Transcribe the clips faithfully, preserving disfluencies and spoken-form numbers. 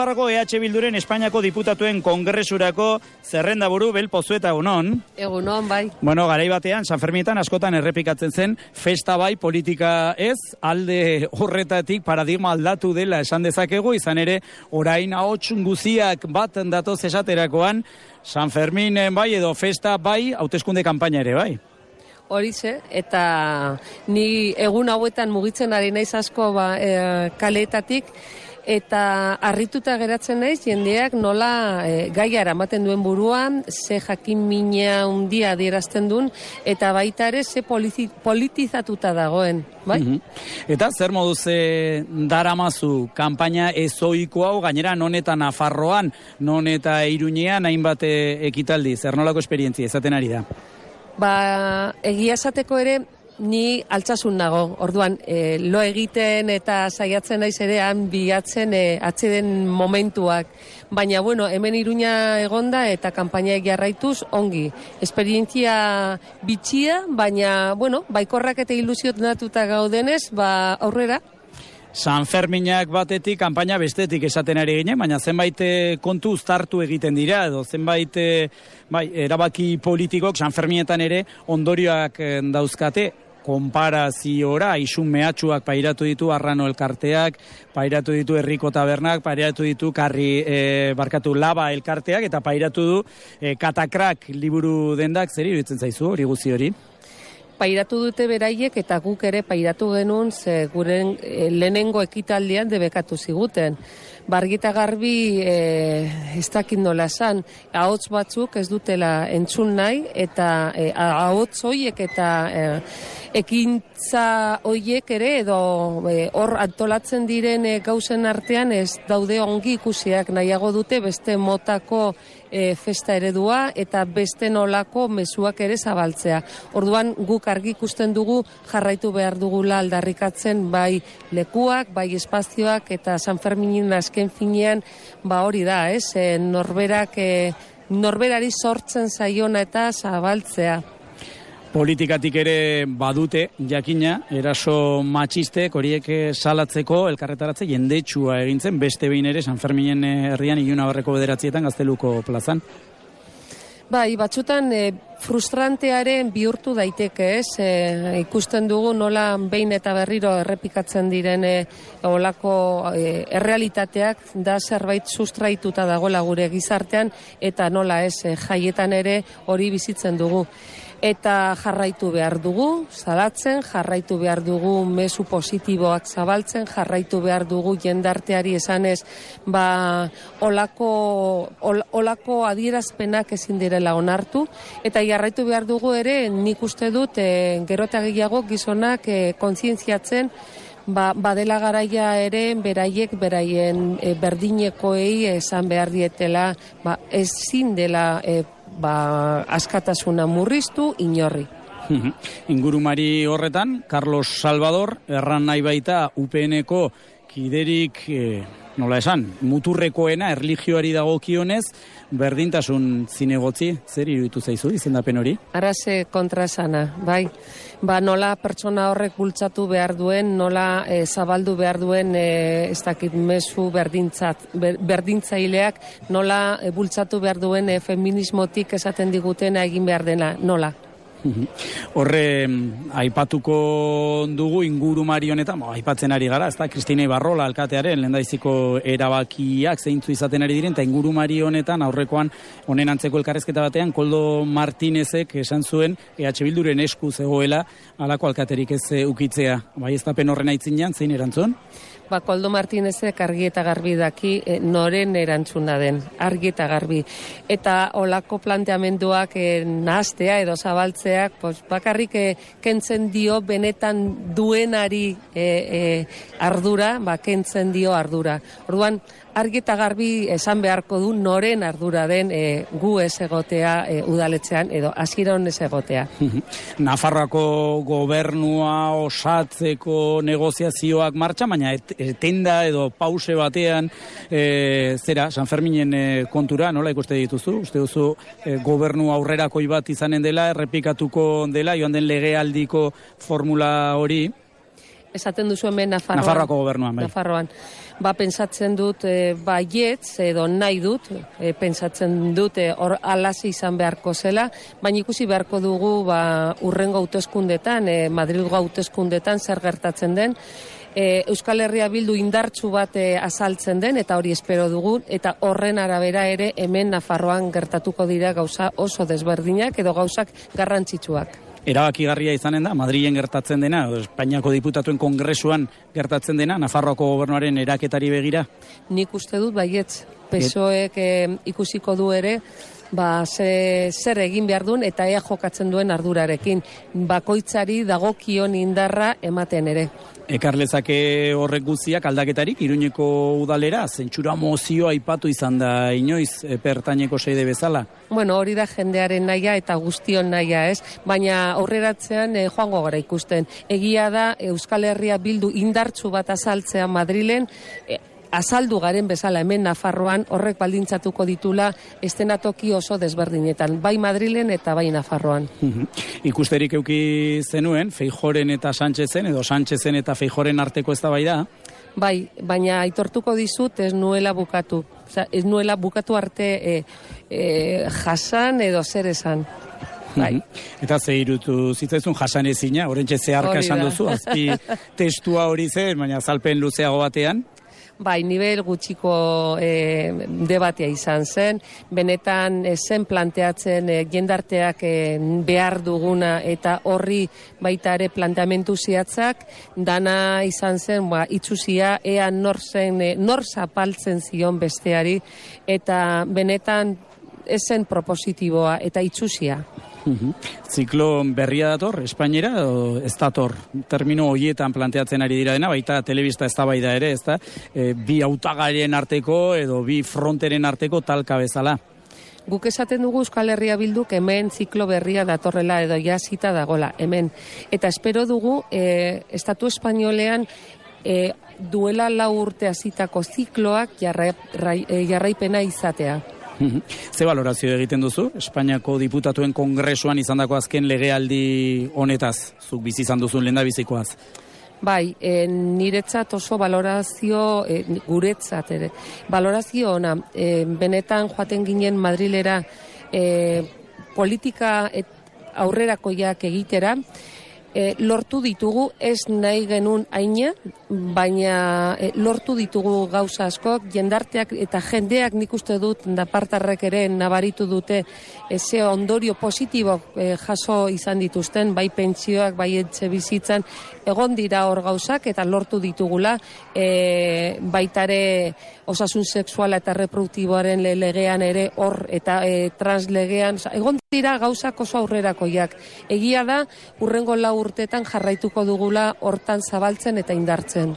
E H Bilduren Espainiako diputatuen kongresurako zerrendaburu Bel Pozueta egunon. Egunon, bai. Bueno, garai batean, San Fermietan askotan errepikatzen zen, festa bai, politika ez, alde horretatik paradigma aldatu dela esan dezakegu, izan ere, orain ahots guziak bat datoz esaterakoan, San Ferminen bai edo festa bai, hauteskunde kanpaina ere bai. Horixe, eta ni egun hauetan mugitzen ari naiz asko ba, e, kaleetatik, eta harrituta geratzen naiz jendeak nola e, gaia eramaten duen buruan, ze jakin mina handia adierazten duen, eta baita ere ze politizatuta dagoen, bai? Mm-hmm. Eta zer moduz e, daramazu kanpaina ezoiko hau, gainera non eta Nafarroan, non eta Iruñean hainbat ekitaldi, zer nolako esperientzia izaten ari da? Ba, egia esateko ere, ni altsasun nago, orduan, e, lo egiten eta saiatzen naiz ere han bilatzen e, atzeden momentuak. Baina, bueno, hemen Iruña egonda eta kanpainak jarraituz ongi. Esperientzia bitxia, baina, bueno, baikorrak eta ilusionatuta gaudenez, ba, aurrera. San Ferminak batetik, kanpaina bestetik esaten ari ginen, baina zenbait kontu uztartu egiten dira, edo zenbait bai, erabaki politikok San Ferminetan ere ondorioak dauzkate, konparaziora, isun mehatxuak pairatu ditu Arrano elkarteak, pairatu ditu Herriko tabernak, pairatu ditu Karri e, barkatu Laba elkarteak, eta pairatu du e, Katakrak liburu dendak, zer iruditzen zaizu hori guzi hori? Pairatu dute beraiek eta guk ere pairatu genuen ze guren e, lehenengo ekitaldian debekatu ziguten. Bargita garbi e, ez dakit nola esan, ahots batzuk ez dutela entzun nahi, eta e, ahots hoiek eta e, ekintza hoiek ere edo hor e, antolatzen diren e, gauzen artean ez daude ongi ikusiak, nahiago dute beste motako e, festa eredua eta beste nolako mezuak ere zabaltzea. Orduan guk argi ikusten dugu jarraitu behar dugula aldarrikatzen bai lekuak, bai espazioak eta San Ferminin azken finean ba hori da, ez? E, norberak e, norberari sortzen zaiona eta zabaltzea. Politikatik ere badute, jakina, eraso matxistek horiek salatzeko elkarretaratze jendetsua egintzen, beste behin ere San Ferminen herrian Iluna Barreko bederatzietan Gazteluko plazan. Bai, batzutan e, frustrantearen bihurtu daiteke, ez? E, ikusten dugu nola behin eta berriro errepikatzen diren e, olako e, errealitateak da zerbait sustraituta dagoela gure gizartean, eta nola ez, e, jaietan ere hori bizitzen dugu. Eta jarraitu behar dugu, salatzen, jarraitu behar dugu mezu positiboak zabaltzen, jarraitu behar dugu jendarteari esanez, ba, olako, ol, olako adierazpenak ezin direla onartu, eta jarraitu behar dugu ere, nik uste dut, e, gero eta gehiago gizonak e, kontzientziatzen, Ba, badela garaia ere beraiek beraien e, berdinekoei esan behar dietela ba, ezin dela e, ba, askatasuna murriztu inorri. Ingurumari horretan, Carlos Salvador, erran nahi baita U P N-ko kiderik, e, nola esan, muturrekoena erlijioari dagokionez, berdintasun zinegotzi, zer iruditu zaizu izendapen hori? Arase kontrasana, bai. Ba, nola pertsona horrek bultzatu behar duen, nola e, zabaldu behar duen, e, ez dakit mezu berdintzat, ber, berdintzaileak, nola e, bultzatu behar duen e, feminismotik esaten digutena egin behar dena, nola? Horre, aipatuko dugu ingurumari honetan, aipatzen ari gara, ez da, Kristina Ibarrola alkatearen lehendaiziko erabakiak zeintzu izaten ari diren, eta ingurumari honetan aurrekoan honen antzeko elkarrezketa batean, Koldo Martinezek esan zuen E H Bilduren esku zegoela halako alkaterik ez ukitzea. Bai, ez dapen horren aitzinean, zein erantzun? Ba, Koldo Martinezek argi eta garbi daki e, noren erantzuna den, argi eta garbi. Eta olako planteamenduak e, nahastea edo zabaltzeak, pues, bakarrik e, kentzen dio benetan duenari e, e, ardura, ba, kentzen dio ardura. Orduan, argi eta garbi esan beharko du noren ardura den e, gu ez egotea e, udaletxean edo hasieran ez egotea. Nafarroako gobernua osatzeko negoziazioak martxa, baina et, etenda edo pause batean e, zera, San Ferminen e, kontura, nola ikuste dituzu? Uste duzu e, gobernu aurrerakoi bat izanen dela, errepikatuko dela, joan den legealdiko formula hori? Esaten duzu hemen Nafarroan. Nafarroako gobernuan, bai. Nafarroan. ba, pentsatzen dut e, baietz edo nahi dut, e, pentsatzen dut e, hor alazi izan beharko zela, baina ikusi beharko dugu ba, urrengo hauteskundetan, e, Madrilgo hauteskundetan zer gertatzen den, e, Euskal Herria Bildu indartsu bat e, azaltzen den, eta hori espero dugu, eta horren arabera ere hemen Nafarroan gertatuko dira gauza oso desberdinak edo gauzak garrantzitsuak. Erabakigarria izanen da, Madrilen gertatzen dena, Espainiako diputatuen kongresuan gertatzen dena, Nafarroako gobernuaren eraketari begira? Nik uste dut baietz, P S O Ek e, ikusiko du ere, ba, ze, zer egin behar duen eta ea jokatzen duen ardurarekin. Bakoitzari dagokion indarra ematen ere. Ekarlezake horrek guztiak aldaketarik Iruñeko udalera, zentsura mozioa aipatu izan da inoiz pertaineko seide bezala? Bueno, hori da jendearen nahia eta guztion nahia, ez? Baina aurreratzean eh, joango gara ikusten. Egia da Euskal Herria Bildu indartsu bat azaltzea Madrilen, eh, azaldu garen bezala hemen Nafarroan horrek baldintzatuko ditula estenatoki oso desberdinetan, bai Madrilen eta bai Nafarroan. Uh-huh. Ikusterik euki zenuen, Feijoren eta Sánchezen, edo Sánchezen eta Feijoren arteko eztabaida? Bai, baina aitortuko dizut ez nuela bukatu. Osa, ez nuela bukatu arte e, e, jasan edo zer esan. Bai. Eta ze irutu zitzaizun jasan ezina, orentxe zeharka esan duzu, azpi testua hori zen, baina azalpen luzeago batean? Bai, nivel gutxiko e, debatea izan zen, benetan e, zen planteatzen e, jendarteak e, behar duguna eta horri baita ere planteamentu ziatzak, dana izan zen, ba, itxusia, ea nor zen, e, nor zapaltzen zion besteari, eta benetan ez zen propositiboa eta itxusia. Uhum. Ziklo berria dator, Espainiera, o ez dator, termino horietan planteatzen ari dira dena, baita telebista eztabaida ere, ez da, e, bi hautagairen arteko edo bi fronteren arteko talka bezala. Guk esaten dugu Euskal Herria Bilduk hemen ziklo berria datorrela edo jasita dagola, hemen. Eta espero dugu, e, Estatu Espainolean e, duela lau urte hasitako zikloak jarra, rai, e, jarraipena izatea. Ze valorazio egiten duzu? Espainiako diputatuen kongresuan izandako azken legealdi honetaz, zuk bizi izan duzun lehendabizikoaz? Bai, e, niretzat oso valorazio, e, guretzat ere, valorazio ona, e, benetan joaten ginen Madrilera e, politika et, aurrerakoiak egitera, E, lortu ditugu, ez nahi genuen aina, baina e, lortu ditugu gauza askok, jendarteak eta jendeak nik uste dut napartarrek ere nabaritu dute eze ondorio positibo e, jaso izan dituzten, bai pentsioak, bai etxe bizitzan, egon dira hor gauzak eta lortu ditugula, e, baitare osasun sexuala eta reproduktiboaren legean ere hor eta e, translegean, egon dira gauzak oso aurrerakoiak. Egia da, urrengo lau urtetan jarraituko dugula hortan zabaltzen eta indartzen.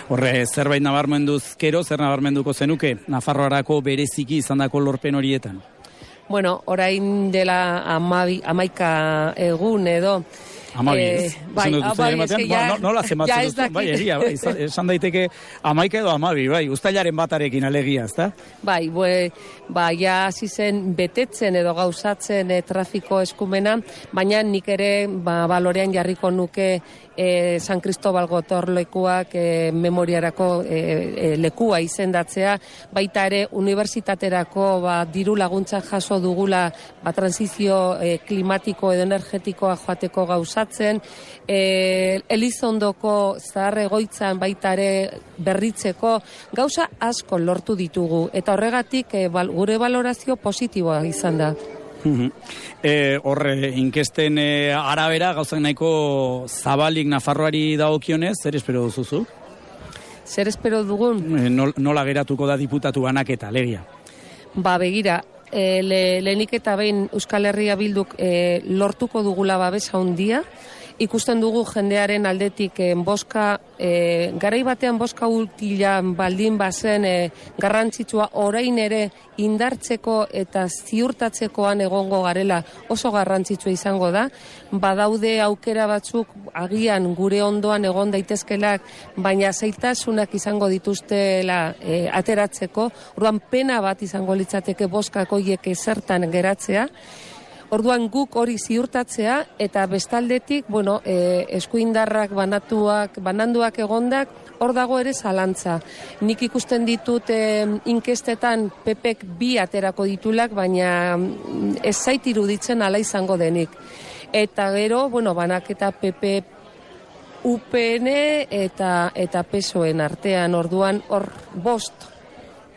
Horre, zerbait nabarmenduz kero, zer nabarmenduko zenuke, Nafarroarako bereziki izandako lorpen horietan? Bueno, orain dela amabi, amaika egun edo, Amabi, ez? Eh, bai, amabi, ez que ya... Nola zematzen duzu, bai, egia, bai, esan daiteke amaika edo amabi, bai, ustailaren batarekin alegia, ezta? Bai, bue, ba, ja hasi zen betetzen edo gauzatzen e, trafiko eskumena, baina nik ere ba, balorean jarriko nuke e, San Cristobal gotorlekuak e, memoriarako e, e, lekua izendatzea, baita ere unibertsitaterako ba, diru laguntza jaso dugula ba, transizio e, klimatiko edo energetikoa joateko gauzatzen, E, Elizondoko zahar egoitzan baita ere berritzeko gauza asko lortu ditugu eta horregatik e, bal, gure valorazio positiboa izan da. E, horre, inkesten e, arabera gauzak nahiko zabalik Nafarroari dagokionez, zer espero duzuzu? Zer espero dugun? E, nol, nola geratuko da diputatu banaketa, legia? Ba, begira, e, le, lehenik eta behin Euskal Herria Bilduk e, lortuko dugula babesa handia, ikusten dugu jendearen aldetik e, boska, e, garai batean boska utilan baldin bazen e, garrantzitsua orain ere indartzeko eta ziurtatzekoan egongo garela oso garrantzitsua izango da, badaude aukera batzuk agian gure ondoan egon daitezkelak, baina zailtasunak izango dituztela e, ateratzeko, orduan pena bat izango litzateke boskak hoiek zertan geratzea. Orduan guk hori ziurtatzea eta bestaldetik, bueno, e, eskuindarrak banatuak, bananduak egondak, hor dago ere zalantza. Nik ikusten ditut e, inkestetan P Pek bi aterako ditulak, baina ez zait iruditzen ala izango denik. Eta gero, bueno, banaketa P P U P N eta, eta P S O E en artean, orduan hor bost.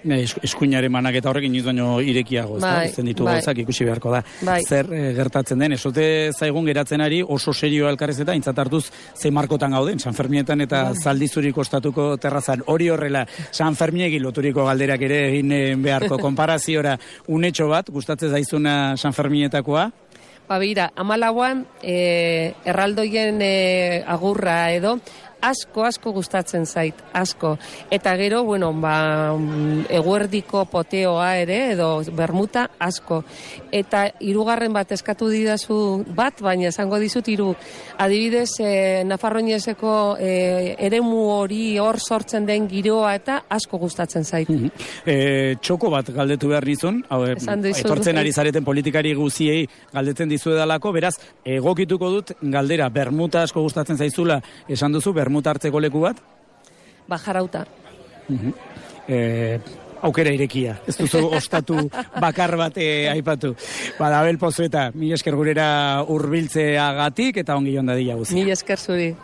Eskuinaren manaketa horrekin inoiz baino irekiago, ez da? Bai, Ezten ditu bai. gauzak ikusi beharko da. Bai. Zer eh, gertatzen den, esote zaigun geratzen ari oso serioa elkarrez eta intzat hartuz ze markotan gauden, San Fermietan eta Bai. Zaldizuri kostatuko terrazan. Hori horrela, San Fermiegi loturiko galderak ere egin eh, beharko konparaziora unetxo bat, gustatzen zaizuna San Fermietakoa? Ba, bira, amalauan e, erraldoien e, agurra edo, asko, asko gustatzen zait, asko. Eta gero, bueno, ba, eguerdiko poteoa ere, edo bermuta, asko. Eta hirugarren bat eskatu didazu bat, baina esango dizut hiru. Adibidez, e, Nafarroinezeko e, eremu hori hor sortzen den giroa eta asko gustatzen zait. Mm -hmm. e, txoko bat galdetu behar nizun, hau, etortzen ari zareten politikari guziei galdetzen dizuedalako, beraz, egokituko dut galdera, bermuta asko gustatzen zaizula, esan duzu, bermuta hartzeko leku bat? Bajarauta. Uh-huh. e, aukera irekia, ez duzu ostatu bakar bat e, aipatu. Bada, Abel Pozueta, mila esker gurera hurbiltzeagatik eta ongi joan dadila guzi. Mila esker zuri.